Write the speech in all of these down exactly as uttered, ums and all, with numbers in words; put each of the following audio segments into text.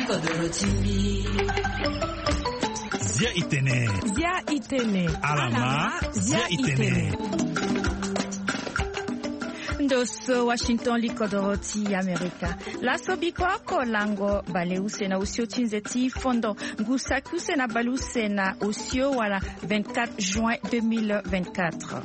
Zia itene. Zia itene. Alama. Zia itene. Ndo so Washington, li kodoro ti Amerika. Laso biko oko lango baleuse na osio ti nze ti fondo ngu saki use na baleuse na osio wala vingt-quatre juin deux mille vingt-quatre.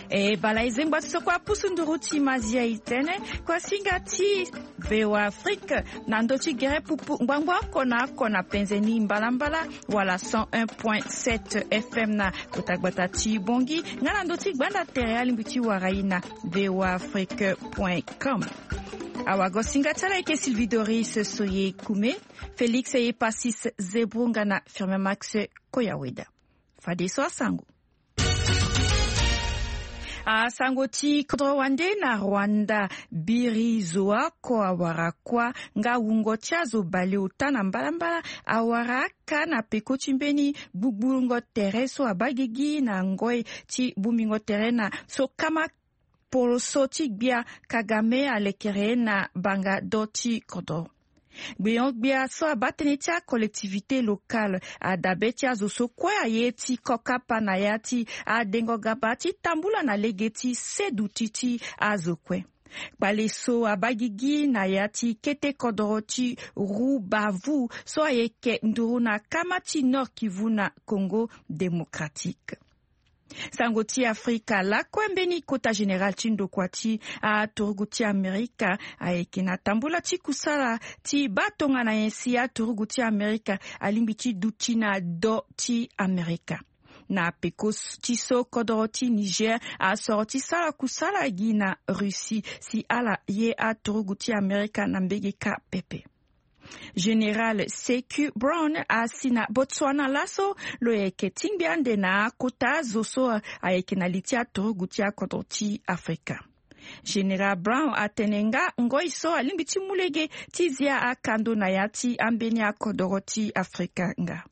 E bala e zengba ti so kue apusu nduru ti mazia itene. Kuasinga ti V O A Afrique na ndö ti gere pupu ngbangbo oko na oko na penze ni mbalambala wala cent un point sept F M na kota gbata ti Bongi nga na ndö ti gbanda tere alingbi ti wara ye na V O A Afrique point com. Awagosinga ti ala eke Sylvie Doris Soye Kume, Félix Epasis Zebro nga na Firmin Max Koyaweda. Fadeso asango. Asango ti kodro wande na Rwanda. Biri zo oko awara kuâ nga wungo ti azo baleota na mbalambala awara aka na peko ti mbeni gbugburungo tere so abaa gigi na ngoi ti bongbingo tere na so kama poroso ti gbia Kagame alekere na banga do ti kodro. Gbenyo-gbia so abaa tënë ti acollectivité locale adabe ti azo so kue aye ti kokapa na ya ti adengo gaba ti tambula na lege ti seduti ti azo kue. Kpale so abaa gigi na ya ti kete kodoro ti Rubavu so ayeke nduru na kama ti Nord-Kivu na Congo Démocratique. Sango ti Afrika lakue mbeni kota général ti ndokua ti aturugu ti Amerika ayeke na tambula ti kusala ti baa tongana nyen si aturugu ti Amerika alingbi ti duti na do ti Amerika. Na peko ti so kodoro ti Niger asoro ti sara kusala gi na Russie si ala ye aturugu ti Amerika na mbege kâ pepe. Général Sekou Brown asi na Botswana laso lo yeke tingbi ande na akota zo so ayeke na li ti aturugu ti akodro ti Afrika. Général Brown atene nga ngoi so alingbi ti mu lege ti zia akando na ya ti ambeni akodoro ti Afrika nga.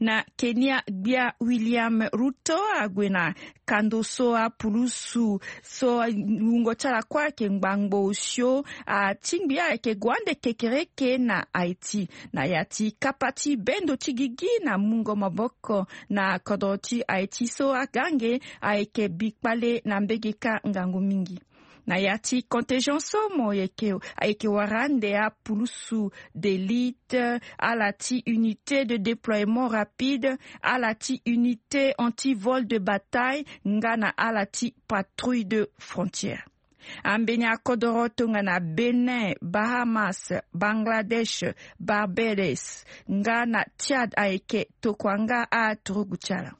Na Kenya, gbia William Ruto ague na kando so apulusu so wungo ti ala kue ayeke ngbangbo osio atingbi ayeke gue ande kekereke na Haïti na ya ti kapa ti bendo ti gigi na mungo maboko na kodro ti Haïti so agange ayeke bikpale na mbege kâ ngangu mingi. Na ya ti contingent so mo yeke ayeke wara ande apulusu d'élite, ala ti unité de déploiement rapide, ala ti unité anti-vol de bataille nga na ala ti patrouille de frontière. Ambeni akodoro tongana Bénin, Bahamas, Bangladesh, Barbados nga na Tchad ayeke tokua nga aturugu ti ala.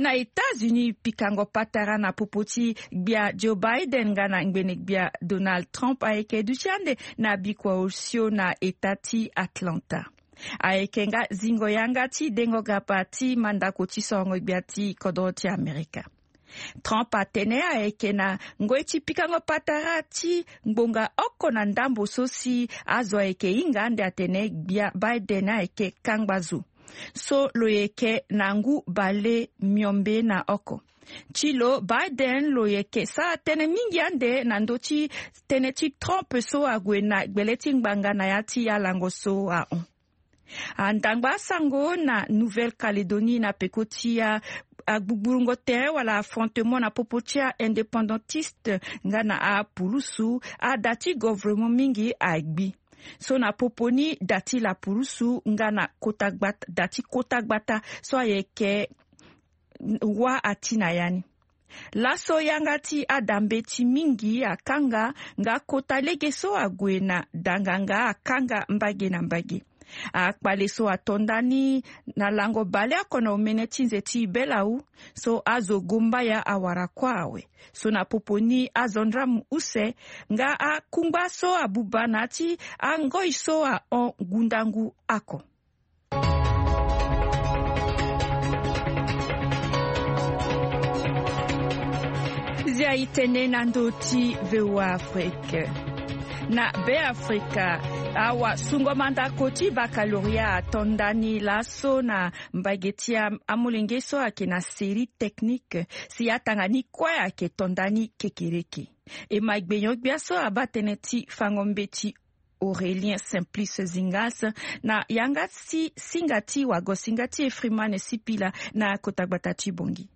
Na États-Unis, pikango patara na popo ti gbia Joe Biden nga na ngbene gbia Donald Trump ayeke duti ande na bikua osio na eta ti Atlanta. Ayeke nga zingo yanga ti dengo gaba ti mandako ti sorongo gbia ti kodro ti Amerika. Trump atene ayeke na ngoi ti pikango patara ti ngbonga oko na ndambo so si azo ayeke hinga ande atene gbia Biden ayeke kangba zo so lo yeke na ngu bale miombe na oko. Ti lo Biden lo yeke sara tënë mingi ande na ndö ti tënë ti Trump so ague na gbele ti ngbanga na ya ti alango so ahon. Andangba asango na Nouvelle-Calédonie na peko ti a agbugburungo tere wala affrontement na popo ti a-indépendantiste nga na apulusu, ada ti gouvernement mingi agbi. So na popo ni da ti lapulusu nga na kota gbata, da ti kota gbata so ayeke wâ ati na ya ni. Laso yanga ti ada mbeti mingi akanga nga kota lege so ague na danganga akanga mbage na mbage. Akpale so ato ndani na lango baleoko na omene ti nze ti belau so azo gombaya awara kua awe. So na popo ni azo ndramu use nga akungba so abuba na ya ti angoi so ahon ngundangu oko. Zia itene na ndö ti V O A Afrique. Na Beafrika, awasungo mandako ti baccalauréat ato ndani laso na mbage ti a amolenge so ayeke na série technique si atanga ni kue ayeke to ndani kekereke. E ma gbenyo-gbia so abaa tënë ti fango mbeti Aurélien Simplice Zingas na yanga ti singa ti wago-singa ti e Freeman Sipila na kota gbata ti Bangui.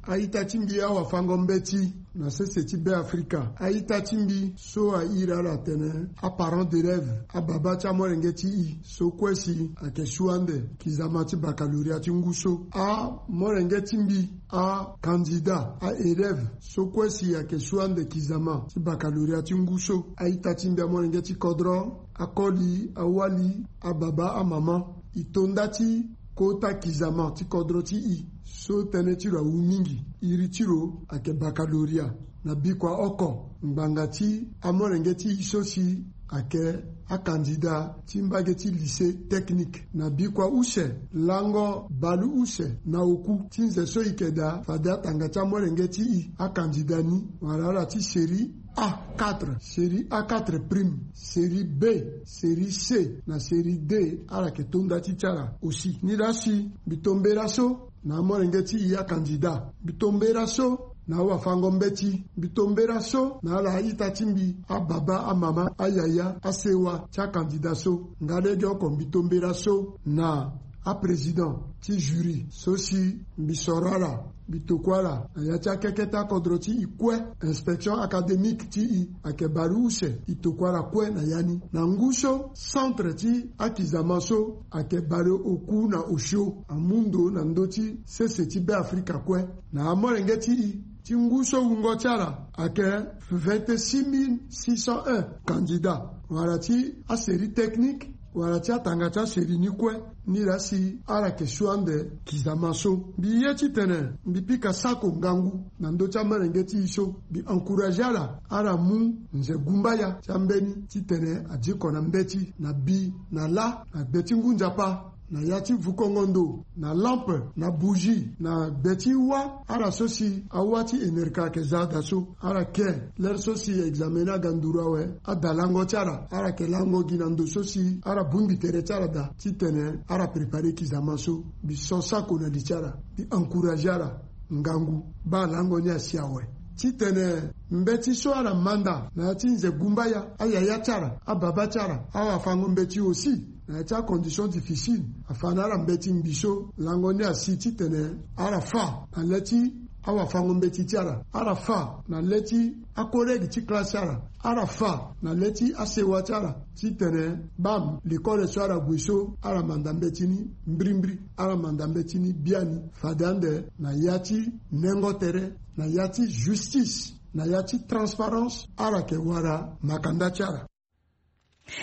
A-ita ti mbi awafango-mbeti na sese ti Beafrika. A-ita ti mbi so a iri ala atene aparent d'élève, ababa ti amolenge ti e so kue si ayeke su ande kizama ti baccalauréat ti ngu so. Amolenge ti mbi, akandida, a-élève so kue si ayeke su ande kizama ti baccalauréat ti ngu so. A-ita ti mbi amolenge ti kodro, akoli, awali, ababa, amama, e to nda ti kota kizama ti kodro ti e so tënë ti lo awu mingi. Iri ti lo ayeke baccalauréat. Na bikua oko, ngbanga ti amolenge ti e so si ayeke akandida ti mbage ti lycée technique. Na bikua use, lango bale use na oku ti nze so e yeke daa fade atanga ti amolenge ti e akandida ni wala ala ti série A quatre, série A quatre prime, série B, série C na série D, ala yeke to nda ti ti ala aussi. Ni laa si mbi to mbela so na amolenge ti e akandida. Mbi to mbela so na awafango-mbeti. Mbi to mbela so na ala a-ita ti mbi, ababa, amama, ayaya, asewa ti akandida so. Nga lege oko mbi to mbela so na aprésident ti jury so si mbi soro ala, mbi tokua ala na ya ti akeke ti akodro ti e kue. Inspection académique ti e ayeke bale use, e tokua ala kue na ya ni. Na ngu so, centre ti akizama so ayeke bale oku na osio, amu ndo na ndö ti sese ti Beafrika kue. Na amolenge ti e ti ngu so wungo ti ala ayeke vingt-six mille six cent un candidats wala ti asérie technique wala ti atanga ti asérie ni kue. Ni laa si ala yeke su ande kizama so. Mbi ye titene mbi pika sako ngangu na ndö ti amolenge ti e so. Mbi encouragé ala, ala mu nze gumbaya ti ambeni titene adiko na mbeti na bi na lâ na gbe ti ngu nzapa, na ya ti vukongo ndo, na lampe, na bougie, na gbe ti wâ, ala so si awâ ti enerka ayeke za daa so. Ala ke, lere so si examen ni aga nduru awe, ada lango ti ala, ala yeke lango gi na ndo so si ala bongbi tere ti ala daa titene ala préparer kizama so. Mbi so sako na li ti ala, mbi encouragé ala ngangu, baa lango ni asi awe. Titene mbeti so ala manda na ya ti nze gumbaya, ayaya ti ala, ababa ti ala, awafango-mbeti aussi, na ya ti acondition difficile, afa na ala mbeti ngbi so, lango ni asi titene ala fa na le ti awafango-mbeti ti ala, ala fa na le ti acollègue ti classe ti ala, ala fa na le ti asewa ti ala, titene bam, lekole so ala gue so, ala manda mbeti ni mbirimbiri, ala manda mbeti ni biani, fade ande na ya ti nengo tere, na ya ti justice, na ya ti transparence, ala yeke wara makanda ti ala.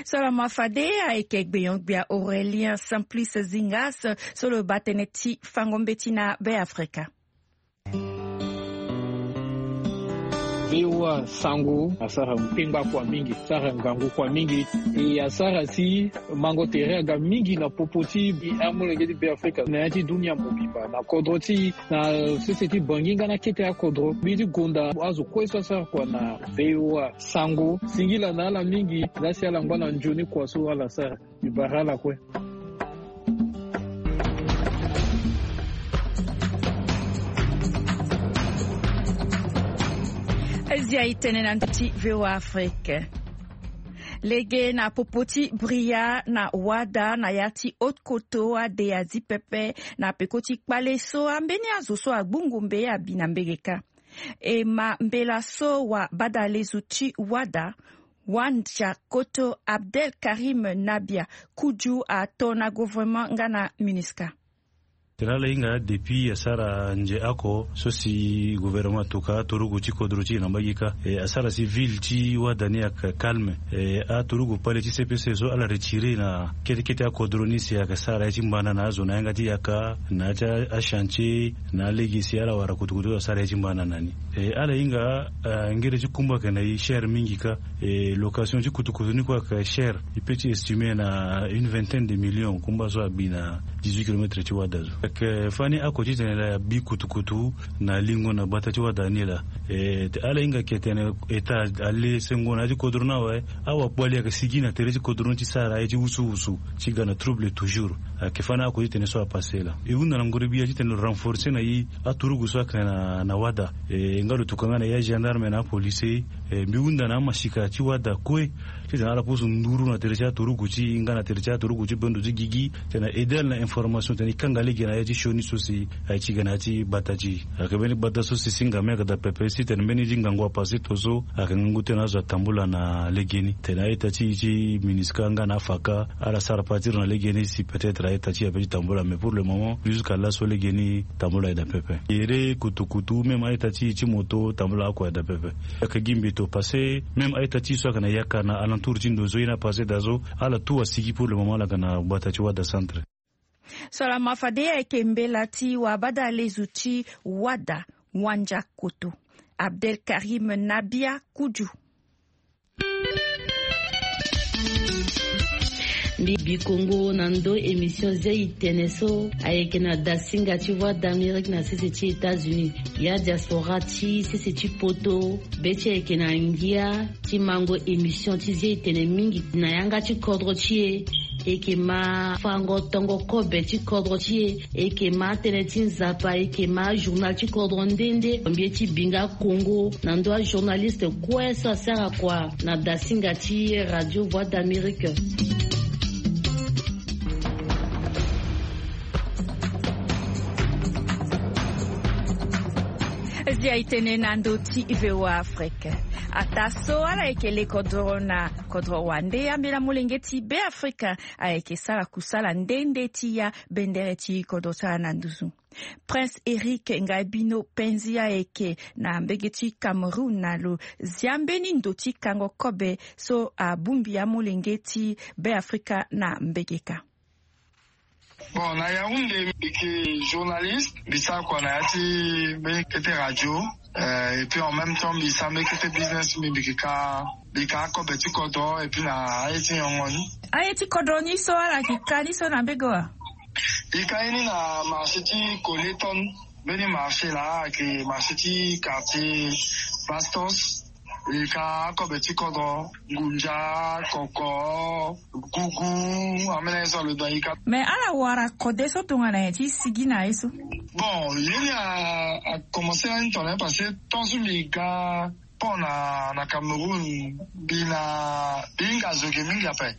Salama fade, ayeke gbenyo-gbia Aurélien Simplice Zingas so lo baa tënë ti fango mbeti na Beafrika. V O A Sango asara kpengba kua mingi, asara ngangu kua mingi, e asara si mango tere aga mingi na popo ti amolenge ti Beafrika na ya ti dunia mobimba, na kodro ti e, na sese ti Bangui nga na kete akodro. Mbi ti gonda azo kue so asara kua na V O A Sango. Singila na ala mingi, laa si ala ngba na nzoni kua so ala sara. Mbi bara ala kue. Azia e tene na ndö ti V O A Afrique. Lege na popo ti Bria na Wada na ya ti Haute-Kotto, ade azi pepe na peko ti kpale so ambeni azo so agbu ngombe abi na mbege kâ. E ma mbela so wa badalezu ti Wada, Wandia Koto Abdel Karim Nabia Kuju ato na gouvernement nga na MINUSCA. Tene ala hinga depuis asara nze oko so si gouvernement atoka aturugu ti kodro ti e na mbage kâ. E asara si ville ti Wada ni ayeke calme. E aturugu pale ti C P C so ala retire na kete kete akodro ni si ayeke sara ye ti mbana na azo na yanga ti yaka na ya ti achantier na alege si ala wara kutukutu asara ye ti mbana na ni. E ala hinga, ah, ngere ti kumba ayeke na e cher mingi kâ. E location ti kutukutu ni kue ayeke cher. E peut ti estimer na une vingtaine de millions kumba so abi na Dix-huit kilomètre ti wada zo. Eke fani ako titene la abi kutukutu na lingo na gbata ti wada ni laa. Ala hinga ke tene eta ale sengo na ya ti kodro ni awe. Awakpo ali ayeke sigi na tere ti kodro ni ti sara aye ti wusuwusu ti ga na trouble toujours. Ayeke fani ako titene so apase laa. E hunda na ngoro bia titene lo renforcer na i aturugu so ayeke na wada. E nga lo tuka nga na ya gendarme na apolice. Mbi hunda na amasika ti wada kue titene ala pusu nduru na tere ti aturugu ti i nga na tere ti aturugu ti bendo ti gigi titene aide ala na information titene i kanga lege na ya ti sioni so si aye ti ga na ya ti gbata ti i. Ayeke mbeni gbata so si singa me ayeke daa pepe si titene mbeni ti ngangu apase to so ayeke ngangu titene azo atambula na legeni titene a-ita ti i ti MINUSCA nga na afaka ala sara patiri na legeni si peut-être a-ita ti i ape ti tambula mais pour le moment jusqu'à laso legeni tambula aye daa pepe. Ere kutukutu même a-ita ti i ti moto tambula ako aye daa pepe. Ayeke gi mbeto pase même a-ita ti i so ayeke na yaka na alentour ti ndo so ye ni apase daa so ala tout asigi pour le moment ala yeke na gbata ti wada centre. So ala ma fade ayeke mbela ti wabada lezu ti wada wandia koto. Abdelkarim Nabia Kudiu. Mbi bi kongo na ndo émission zia itene so ayeke na dasinga ti voix d'amérique na sese ti états-unis. Ya diaspora ti sese ti poto be ti ayeke na ngia ti mango émission ti zia itene mingi na yanga ti kodro ti e. Eke ma fango tongo kobe ti kodro ti e. Eke ma tënë ti nzapa eke ma journal ti kodro nde nde mbi ye ti bi nga kongo na ndo ajournaliste kue so asara kua na dasinga ti radio voix d'amérique. Zia itene na ndo ti voa afrique. Ata so ala yeke le kodoro na kodro wande ambela molenge ti be afrika ayeke sara kusala nde nde ti ya bendere ti kodro ti ala na nduzu. Prince eric ngaibino penzi ayeke na mbege ti cameroun na lo zia mbeni ndo ti kango kobe so abongbi amolenge ti be afrika na mbege ka. Bon na yaounde mbi yeke journaliste mbi sara kua na ya ti mbeni kete radio. Et puis en même temps mbi sara mbeni kete business ti mbi mbi yeke ka mbi yeke akobe ti kodro et puis na aye ti nyongo ni. Aye ti kodro ni so ala yeke ka ni so na mbege wa? Mbi ka ye ni na marché ti koleton. Mbeni marché laa ayeke marché ti quartier bastos. E ka akobe ti kodro ngunza koko gugu. Ambeni aye so alo dua e ka. Mais ala wara kode so tongana nyen ti sigi na ye so? Bon ye ni akomense lani tongana ye parce que tant so mbi ga pont na cameroun mbi na mbi hinga zo ge mingi ape.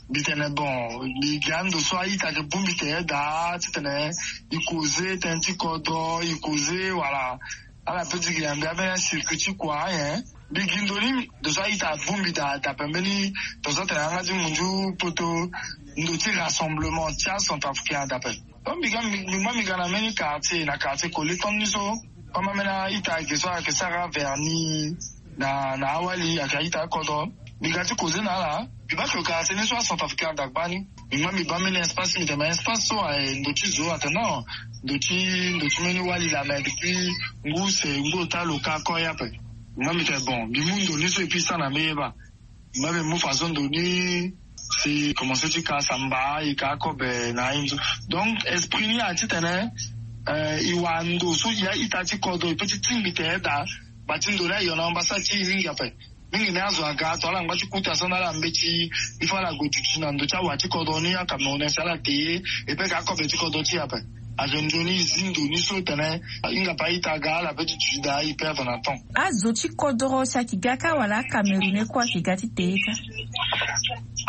Mbi tene bon mbi ga ndo so a-ita ge bongbi te daa titene e koze tënë ti kodro e koze wala. Ala pe ti gi na mbi ambeni acircuit ti kua anyen. Mbi gi ndo ni ndo so a-ita abongbi daa dape mbeni ndo so atene yanga ti munzu poto ndo ti rassemblement ti acentrafricain adape. Donc mbi ga mbi ngba mbi ga na mbeni quartier na quartier koleton ni so. Koma mbeni a-ita ayeke so ayeke sara verni na na awali ayeke a-ita akodro. Mbi ga ti koze na ala mbi baa ke quartier ni so acentrafricain ada gbani. Mbi ngba mbi baa mbeni espace mbi tene ma espace so aye ndo ti zo atene non. Ndo ti ndo ti mbeni wali la mais depuis ngu se ngu ota lo ka ko ye ape. Mbi ngba mbi tene bon mbi mu ndo ni so epui sa na mbeni ye baa. Mbi baa mbi mu façon ndo ni si komense ti ka samba e ka akobe na aye ni so. Donc esprit ni aye titene e wara ndo so e a-ita ti kodro e pe ti tingbi tene daa. Bati ndo ni ayo na ambasade ti e mingi ape. Mingi ni azo aga to ala ngba ti kuta so na ala mbeti. Il faut ala gue duti na ndo ti awa ti kodro ni acamerounais si ala te ye e pe ka akobe ti kodro ti e ape. Azo nzoni e zi ndo ni so tene e hinga pe a-ita aga ala pe ti duti daa e perdre na temps. Azo ti kodro si ayeke ga kâ wala acamerounais kue ayeke ga ti te ye kâ?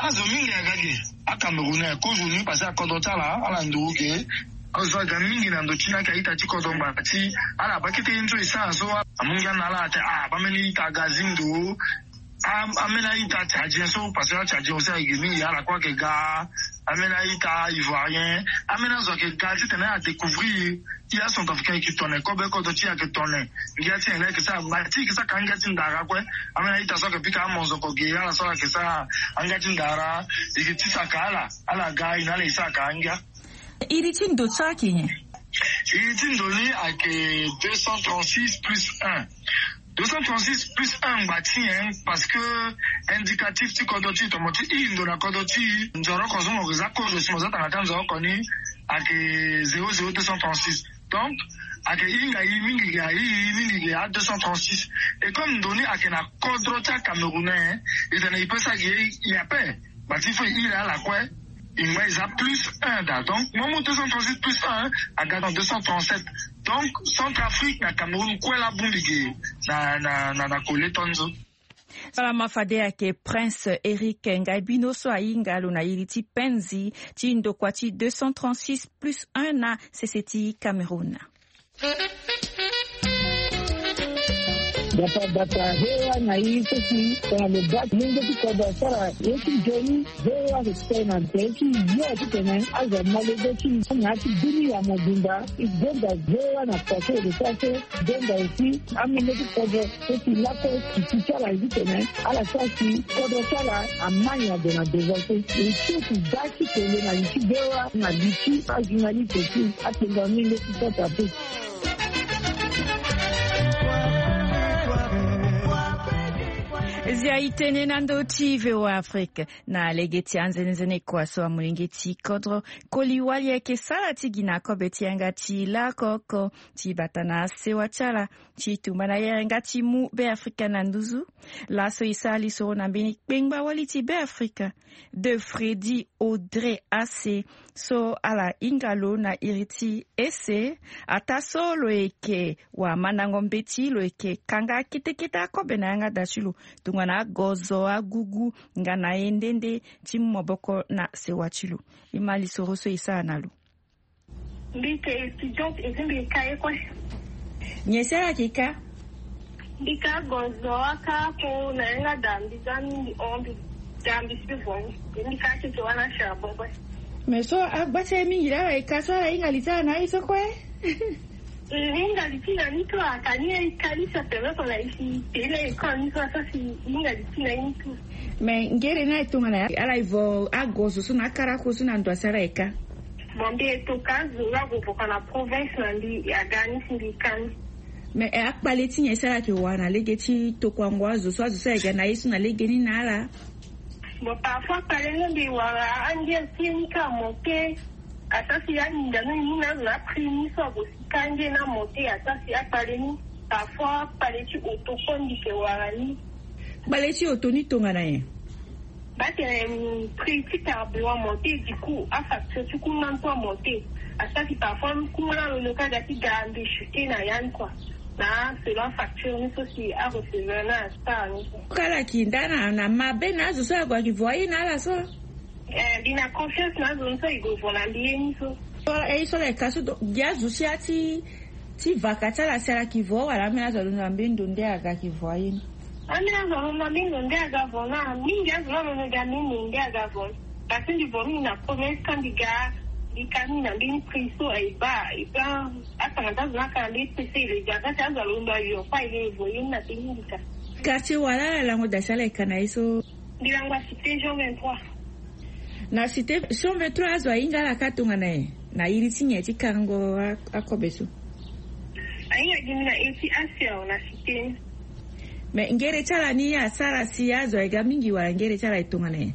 Azo mingi aga ge. Acamerounais kozo ni parce que akodro ti ala ala ndo ge. Azo aga mingi na ndo ti ni ayeke a-ita ti kodro ngbanga ti ala baa kete ye ni so e sara so. Amu ngia na ala ate ah baa mbeni ita aga zi ndo. Ambeni a-ita tchadien so parce que atchadien aussi ayeke mingi ala kue ayeke ga. Ambeni a-ita ivoirien. Ambeni azo ayeke ga titene adécouvrir. Ti acentrafricain ayeke tone kobe kodro ti e ayeke tone. Ngia ti nyen la ayeke sara gba ti e yeke sara ka angia ti ndara kue. Ambeni a-ita so ayeke pika amonzoko ge ala so ala yeke sara angia ti ndara. E yeke ti saka ala ala ga e na ala e sara ka angia. Iri ti ndo so ayeke nyen? Iri ti ndo ni ayeke deux cent trente six plus un. Deux cent trente six plus un ngba ti nyen? Parce que indicatif ti kodro ti e tomo ti i ndo na kodro ti e nzoroko so mo yeke za kozo si mo za tanga ti anzoroko ni. ayeke zéro zéro deux cent trente-six. Donc ayeke hinga ye mingi ge, ahinga ye mingi ge a deux cent trente-six. Et comme ndo ni ayeke na kodro ti acamerounais, e tene e peut sara gi ye ape. But il faut e hiri ala kue. E ngba e za plus un daa. Donc mo mu deux cent trente-six plus un aga na deux cent trente-sept. Donc Centrafrique na Cameroun kue laa abongbi ge na na na na kole tonzo. Salama fade ayeke Prince Eric Ngaibino so ahinga lo na iri ti penzi ti ndokua ti deux cent trente-six plus un na sese ti Cameroun. Bata bata, V O A na i so si tongana lo baa ti mungo ti kodro asara ye ti nzoni. V O A ayeke tene na nze ti yo titene azo amolenge ti na ya ti dunia mobimba. E gonda V O A na kua so e lo sara so. Gonda aussi amolenge ti kodro so si lakue titi ti ala ye titene ala sara si kodro ti ala ama nyen ague na devant so. E ti e si da ti tene na li ti V O A na li ti ajournaliste aussi. Atenga mingi ti sota pe. Zia e tene na ndö ti V O A Afrique. Na lege ti anzenenzene kua so amolenge ti kodro koli wali ayeke sara ti gi na kobe ti yanga ti lakoko ti bata na sewa ti ala ti tumba na yere nga ti mu Beafrika na nduzu. Laso e sara lisoro na mbeni kpengba wali ti Beafrika, De Freddy Audrey Asse, so ala hinga lo na iri ti ese. Ataa so lo yeke wamandango mbeti, lo yeke kanga kete kete akobe na yanga da ti lo tongana agozo, agugu nga na ye nde nde ti mu maboko na sewa ti lo. E ma lisoro so e sara na lo. Mbi yeke étudiante et puis mbi yeke ka ye kue. Nyen si ala yeke ka? Mbi ka gozo aka ako na yanga da mbi za mingi hon mbi da mbi si vo ni. Mbi ka keke wala charbon kue. Mais so agba ti aye mingi laa ala yeke ka so ala hinga li ti ala na aye so kue. E hinga li ti na ni so aka ni aye ka ni so apermettre na e si tene école ni so asara si hinga li ti na ye ni so. Mais ngere ni aye tongana ala e vo agozo so na akarako so na ndo asi ala yeke ka. Bon mbi e to ka azo la gue voka na province na mbi aga ni si mbi ka ni. Mais akpale ti nyen si ala yeke wara na lege ti tokuango azo so azo so ayeke ga na ye so na lege ni na ala? Bon parfois akpale ni mbi wara ange ti ye ni ka amonte. Asara si aninga ni ni na azo na prix ni so ague si ka ange ni amonte asara si akpale ni. Parfois akpale ti auto kue mbi yeke wara ni. Kpale ti auto ni tongana nyen? Batene prix ti carburant amonte du coup afacture ti kuma ni kue amonte. Asara si parfois kuma ni alondo ka ga ti ga mbi chuter na ya ni kua. Na selon afacture ni so si arecevoir na asara ni kua. Kala ki nda na na mabe na azo so ague ayeke vo aye na ala so. Eh mbi na confiance na azo ni so e gue vo na mbi ye ni so. So aye so ala yeke ka so gi azo si ati ti vaka ti ala si ala yeke vo wala ambeni azo alondo na mbeni ndo nde aga yeke vo aye ni? Ambeni azo alondo na mbeni ndo nde aga vo na mingi azo la alondo ga mbeni ndo nde aga vo. Parce que mbi vo mingi na province ka mbi ga mbi ka mingi na mbeni prix so e baa e baa. Atanga ti azo ni aka na mbeni prix so e le ga ka ti azo alondo ayo kue e le vo ye ni na mbeni mbi ka. Quartier wala ala lango da si ala yeke ka na ye so? Mbi lango na cité jean vingt-trois. Na cité jean vingt-trois azo ahinga ala ka tongana nyen? Na iri ti nyen ti kango akobe so? Ahinga gi mbi na iri ti asiao na cité. Mais ngere ti ala ni asara si azo aye ga mingi wala ngere ti ala aye tongana nyen?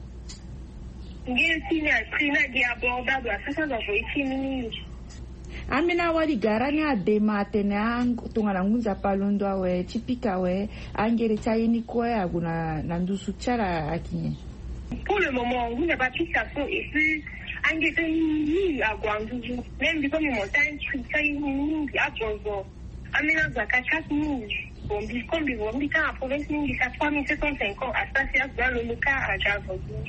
Ngere ti ni aprix ni agi abordable asara si azo avo ye ti ni mingi. Ambeni awali gara ni adema atene tongana ngu nzapa alondo awe ti pika awe. Angere ti aye ni kue ague na nduzu ti ala ayeke nyen? Pour le moment ngu nzapa pika so et puis angere ti aye ni mingi ague na nduzu. Même mbi so mbi monta un prix ti aye ni mingi agonzo. Ambeni azo aka quatre mille. Bon mbi comme mbi vo mbi ka na province mingi ka trois mille sept cent cinquante asara si azo alondo ka aga agonzo.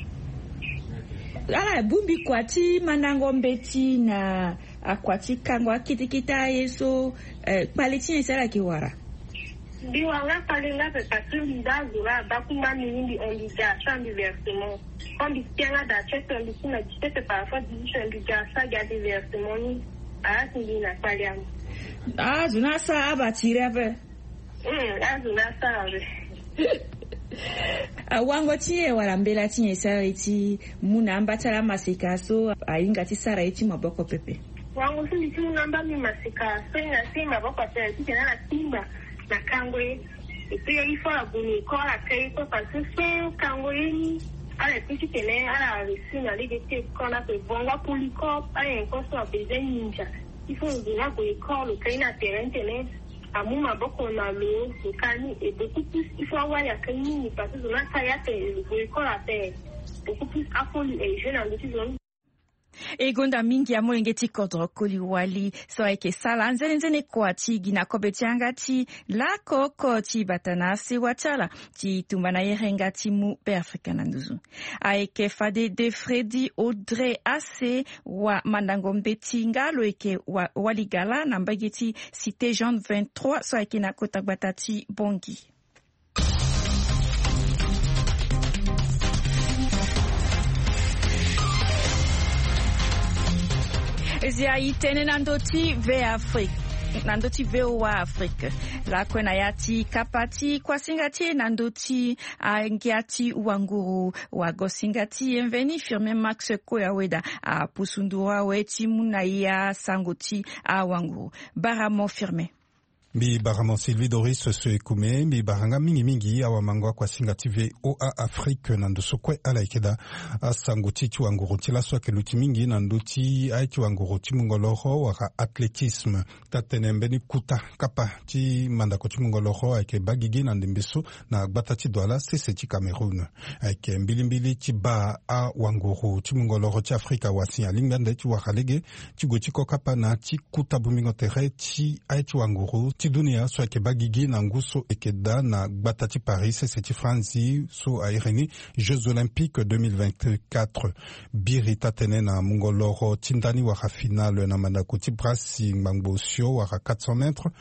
Ala bongbi kua ti mandango mbeti na akua ti kango akete kete aye so. Kpale ti nyen si ala yeke wara? Mbi wara nga kpale nga pepe parce que mbi baa azo la abaa kuma mbi ni mbi hon mbi ga asara mbi versement. Quand mbi ti anga da ti ete mbi ti na dix-sept parfois dix-huit mbi ga asara gi ade versement ni. Ala si mbi na kpale amu. Azo ni asara aba tiri ape. Azo ni asara ape. Awango ti nyen wala mbela ti nyen si ala ye ti mu na amba ti ala amaseka so ahinga ti sara ye ti maboko pepe? Wango so mbi ti mu na amba mbi maseka so e na se maboko ape titene ala timba na kango ye. Et puis il faut ala gue na école ala ka ye kue parce que so kango ye ni Ala epesi tene ala reussi na lege ti école ape. Bongo akoli corps, ala nyen kue so abezoin ninja. Il faut lo zo ni ague école, lo kai na terrain tene amu maboko na lo, lo kai ni. Et beaucoup plus, il faut awali akai mingi parce que zo ni akai ape, lo gue école ape. Beaucoup plus akoli e jeu na ndö ti zo ni. E gonda mingi amolenge ti kodro koli wali so ayeke sala nzenenzene kua ti gi na kobe ti yanga ti lako oko ti bata na asewa ti ala ti tumba na yerenga ti mu Beafrika na nduzu. Ayeke fade de Freddy Audrey Ase wa mandango mbeti nga lo yeke wa, wali gala na mbage ti Cité Jean vingt-trois so ayeke na kota gbata ti Bangui. Zia e tene na ndö ti V Afrique, na ndö ti V O A Afrique. Lakue na ya ti kapa ti kuasinga ti e na ndö ti angia ti wanguru, wagosinga ti e mveni Firmin Max Koyaweda apusu nduru awe ti mu na e asango ti awanguru. Baramo Firmin. Mbi baramo Sylvie Doris Soekume, mbi bara nga mingi mingi awamango akuasinga ti V O A Afrique na ndo so kue ala yeke daa. Asango ti e ti wanguru ti laso ayeke luti mingi na ndö ti aye ti wanguru ti mungo loro wala athlétisme. Taa-tënë mbeni kuta kapa ti mandako ti mungo loro ayeke baa gigi na ndembe so na gbata ti Douala sese ti Cameroun. Ayeke mbilimbili ti baa awanguru ti mungo loro ti Afrika wa si alingbi ande ti wara lege ti gue ti kokapa na ti kuta bongbingo tere ti aye ti wanguru ti dunia so ayeke baa gigi na ngu so eke daa na gbata ti Paris sese ti Franzi so a iri ni Jeux Olympiques deux mille vingt-quatre. Biri taa-tënë na mungo loro ti ndani wala finale na mandako ti brasi ngbangbo osio wala quatre cents mètres,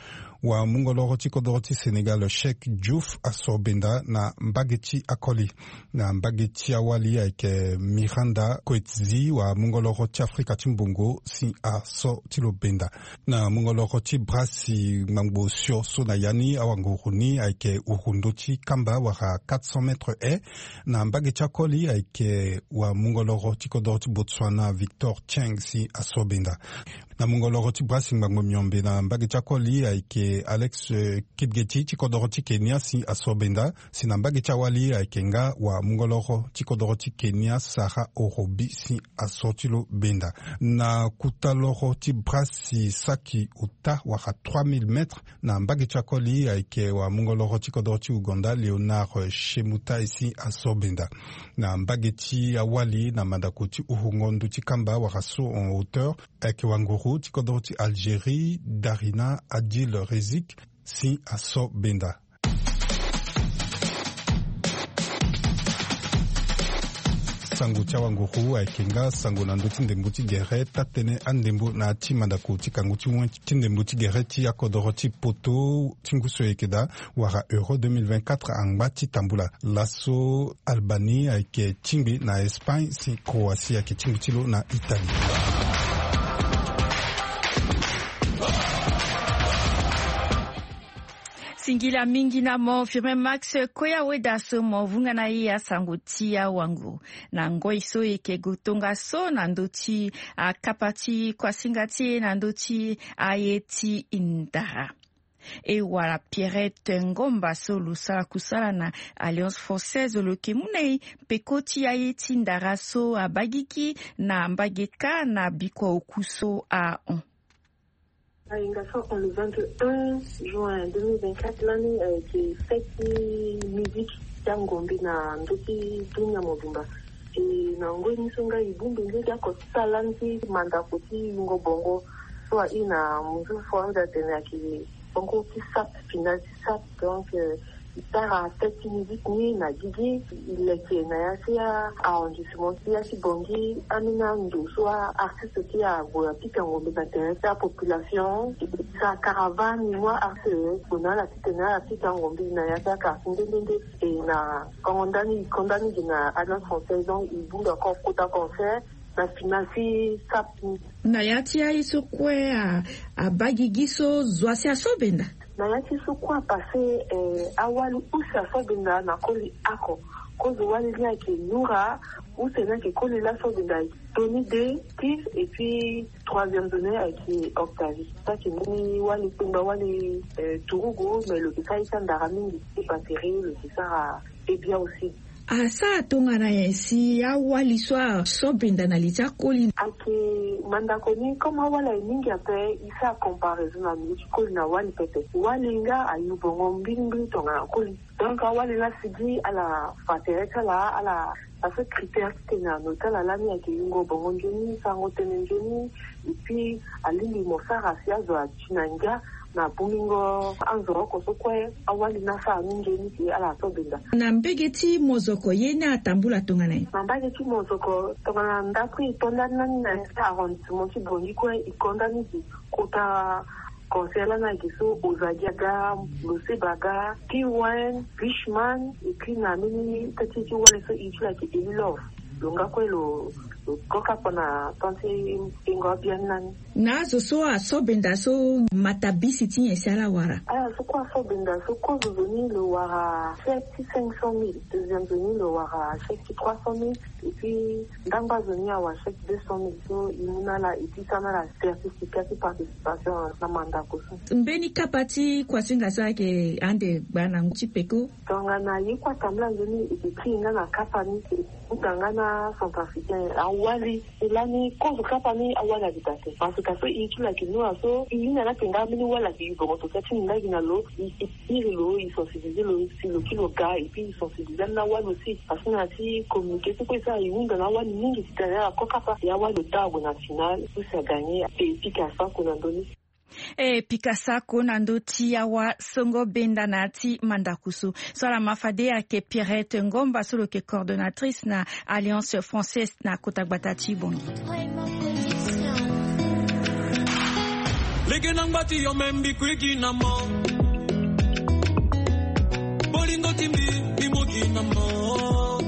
wa mungo loro ti kodoro ti Sénégal Cheikh Diouf asoro benda na mbage ti akoli. Na mbage ti awali ayeke Miranda Coetzee wa mungo loro ti Afrika ti mbongo si asoro ti lo benda. Na mungo loro ti brasi ngbangbo osio so na ya ni awanguru ni ayeke uru ndö ti kamba wala quatre cents mètres haies. Na mbage ti akoli ayeke wa mungo loro ti kodoro ti Botswana Victor Cheng si asoro benda. Na mungo loro ti brasi ngbangbo miombe na mbage ti akoli ayeke Alex, eh, Kipgeti ti kodoro ti Kenya si asoro benda. Si na mbage ti awali ayeke nga wa mungo loro ti kodoro ti Kenya Sarah Orobi si asoro ti lo benda. Na kuta loro ti brasi saki ota wala trois mille mètres na mbage ti akoli ayeke wa mungo loro ti kodoro ti Ouganda Léonard Chemutai si asoro benda. Na mbage ti awali na mandako ti urungo ndö ti kamba wala saut en hauteur ayeke wanguru ti kodoro ti Algérie Darina Adil Rezik si asoro benda. Sango ti awanguru ayeke nga sango na ndö ti ndembo ti gere taa-tënë andembo na ya ti mandako ti kangu ti wen ti ndembo ti gere ti akodoro ti poto ti ngu so e yeke daa wala Euro deux mille vingt-quatre angba ti tambula. Laso Albanie ayeke tingbi na Espagne si Croatie ayeke tingbi ti lo na Italie. Singila mingi na mo Firmin Max Koya Weda so mo vunga na e asango ti awanguru na ngoi so e yeke gue tongaso na ndö ti akapa ti kuasinga ti e na ndö ti aye ti ndara. E wala Pierrette Ngomba so lo sara kusala na Alliance Française lo yeke mu na e peko ti aye ti ndara so abaa gigi na mbage kâ na bikua oku so ahon. Ahinga so ahon le vingt et un juin deux mille vingt-quatre lani ayeke fête ti musique ti angombe na ndö ti dunia mobimba. E na ngoi ni so nga e bongbi nde ti oko ti sara lani ti mandako ti yungo bongo so aye na munzu fo ande atene ayeke bongo ti sap, final ti sap. Donc, euh, e sara fête ti musique ni na gigi, e leke na ya ti a-arrondissement ti ya ti Bangui, ambeni ando so a-artiste ti ague apika ngombe na tere ti apopulation. E sara caravane ni, mu a-artiste gue na ala titene ala pika ngombe na ya ti a-quartier nde nde nde. E na kongo ndani, kongo ndani gi na Alliance Française, donc e bongbi encore kota concert na final ti sap ni. Na ya ti aye so kue a, abaa gigi so zo asi aso benda? Na ya ti so kue apasse, eh, awali use aso benda na koli oko. Kozo wali ni ayeke Noura, use ni ayeke koli laso benda Tony de Steve, et puis troisième zo ni ayeke Octavie. So ayeke mbeni wali kpengba wali, eh, turugu, mais lo yeke sara ye ti andara mingi ti batterie, lo yeke sara ebia aussi. Asara tongana nyen si awali so aso benda na li ti akoli? Ayeke mandako ni, comme awali aye mingi ape, e sara comparaison na milieu ti koli na wali pepe. Wali nga ayu bongo mbilimbili tongana koli. Donc awali laa si gi ala fa tere ti ala, ala, parce que critère ti tene na note ti ala lani ayeke yungo bongo nzoni, sarango tënë nzoni, et puis alingbi mo sara si azo ati na ngia na bongingo anzoro oko so kue. Awali ni asara ni nzoni si ala so benda. Na mbage ti mozoko ye ni atambula tongana nyen? Na mbage ti mozoko tongana ndako e to ndani lani na arrondissement ti Bangui kue, e ko ndani si kota conseil lani ayeke so Ozadi aga, Loseba aga, P one, Bushman, et puis na mbeni teti ti wali so e ti lo ayeke Eli Love. Lo nga kue lo, lo ko kapa na temps ti tengo abiani lani. Na azo so aso benda so, matabisi ti nyen si ala wara? Ala so kue aso benda so, kozo zo ni lo wara chèque ti cinq cent mille, deuxième zo ni lo wara chèque ti trois cent mille, et puis ndangba zo ni awara chèque deux cent mille. So e mu na ala, e ti sara na ala certificat ti participation na mandako so. Mbeni kapa ti kuasinga so ayeke ande gba na ngu ti peko? Tongana ye kue atambula nzoni, e yeke kiri nga na kapa ni, e hunda nga na Centrafricain. Awali e lani kozo kapa ni awali ayeke daa te. Parce que so e ti lo ayeke noa so e hinga na ala tene nga mbeni wali ayeke yu bongo, to tia ti minda gi na lo, e, e iri lo, e sensibiliser lo si lo kiri lo ga, et puis e sensibiliser ambeni awali aussi. Parce que na ya ti communiqué so kue e sara, e hunda na awali mingi titene ala ko kapa, e awali lo daa ague na finale, so si agagné, e pika sako na ndö ni. E pika sako na ndö ti awasongo benda na ya ti mandako so. So ala ma fade ayeke Pierrette Ngomba so lo yeke coordonnatrice na Alliance Française na kota gbata ti Bangui. Lege na ngba ti yo me mbi kui gi na mo. Bolingo ti mbi, mbi mu gi na mo.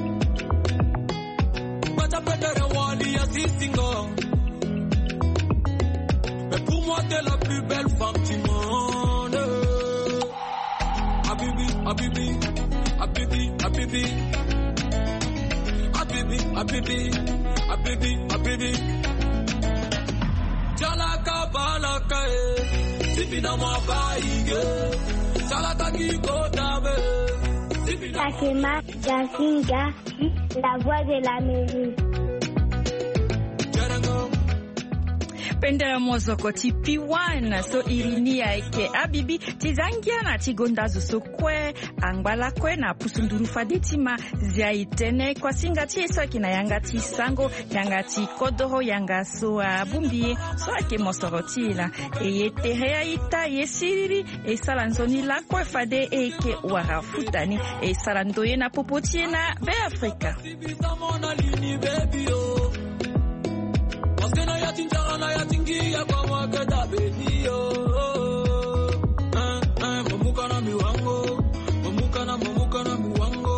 Gbata petere wali ya sisingo. Mais pour moi, t'es la plus belle femme du monde. Habibi, habibi, habibi, habibi. Habibi, habibi, habibi, habibi. Chalaka balaka, eh. Sipi na mwa baige. Chalaka ki kota be. Sipi na Takema Jasinga, la voix de l'Amérique. Pendere mozoko ti P one so iri ni ayeke Habibi. Ti za ngia na ti gonda zo so kue angba lakue na pusu nduru fade ti ma zia e tene kuasinga ti e so ayeke na yanga ti sango, yanga ti kodoro, yanga so abongbi e so ayeke mosoro ti e laa. E ye tere a-ita, e ye siriri, e sara nzoni lakue fade e yeke wara futa ni. E sara ndoye na popo ti e na Beafrika. Parce que na ya ti njara, na ya ti ngia, koma ke da beni yo. Hein, hein, mamuka na miwango, mamuka na, mamuka na miwango.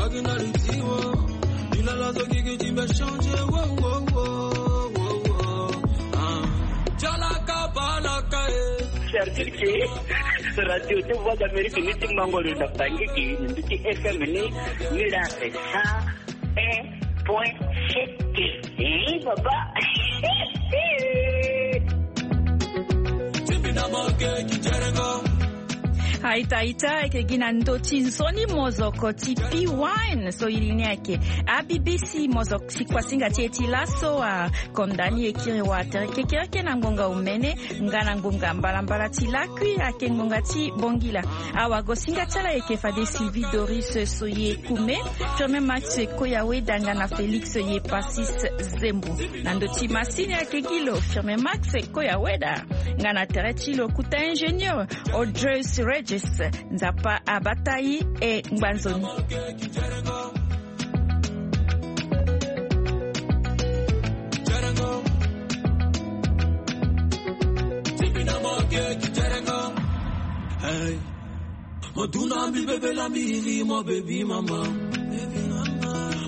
Agi na litiwo, ilala zo gigi ti be changer, wo, wo, wo, wo, wo. Ah. Chalaka balaka, eh. C'est-à-dire que Radio ti Voix d'Amérique ni ti mango lo na Bangui gi, ni ti F M ni, ni la sa un point sept. Eh, baba. A-ita, a-ita, ayeke gi na ndö ti nzoni mozoko ti P one so iri ni ayeke A B B C, mozoko ti kuasinga ti e ti laso, a konda ni e kiri wa tere kekereke na ngonga omene nga na ngonga mbalambala ti lakui, ayeke ngonga ti bongila. Awagosinga ti ala ayeke fade Sylvie Doris Soye Kume, Firmin Max Koyaweda nga na Félix Ye Passis Zembo. Na ndö ti masini ayeke gi lo Firmin Max Koyaweda, nga na tere ti lo kuta ingénieur Audreus Regis. Nzapa abata e, e ngba nzoni. Hey. Mo duna mbi bebe la mbi iri mo baby mama.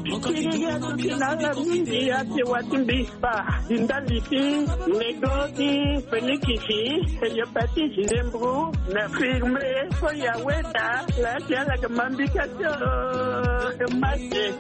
Mo kaki duna mbi na la mingi ake wati mbi. Ba, di ndali ti nego ti Felikisi, Heliopati Ginembro, na Firmin Koyaweda, la ti ala ga mambika tio, Mate.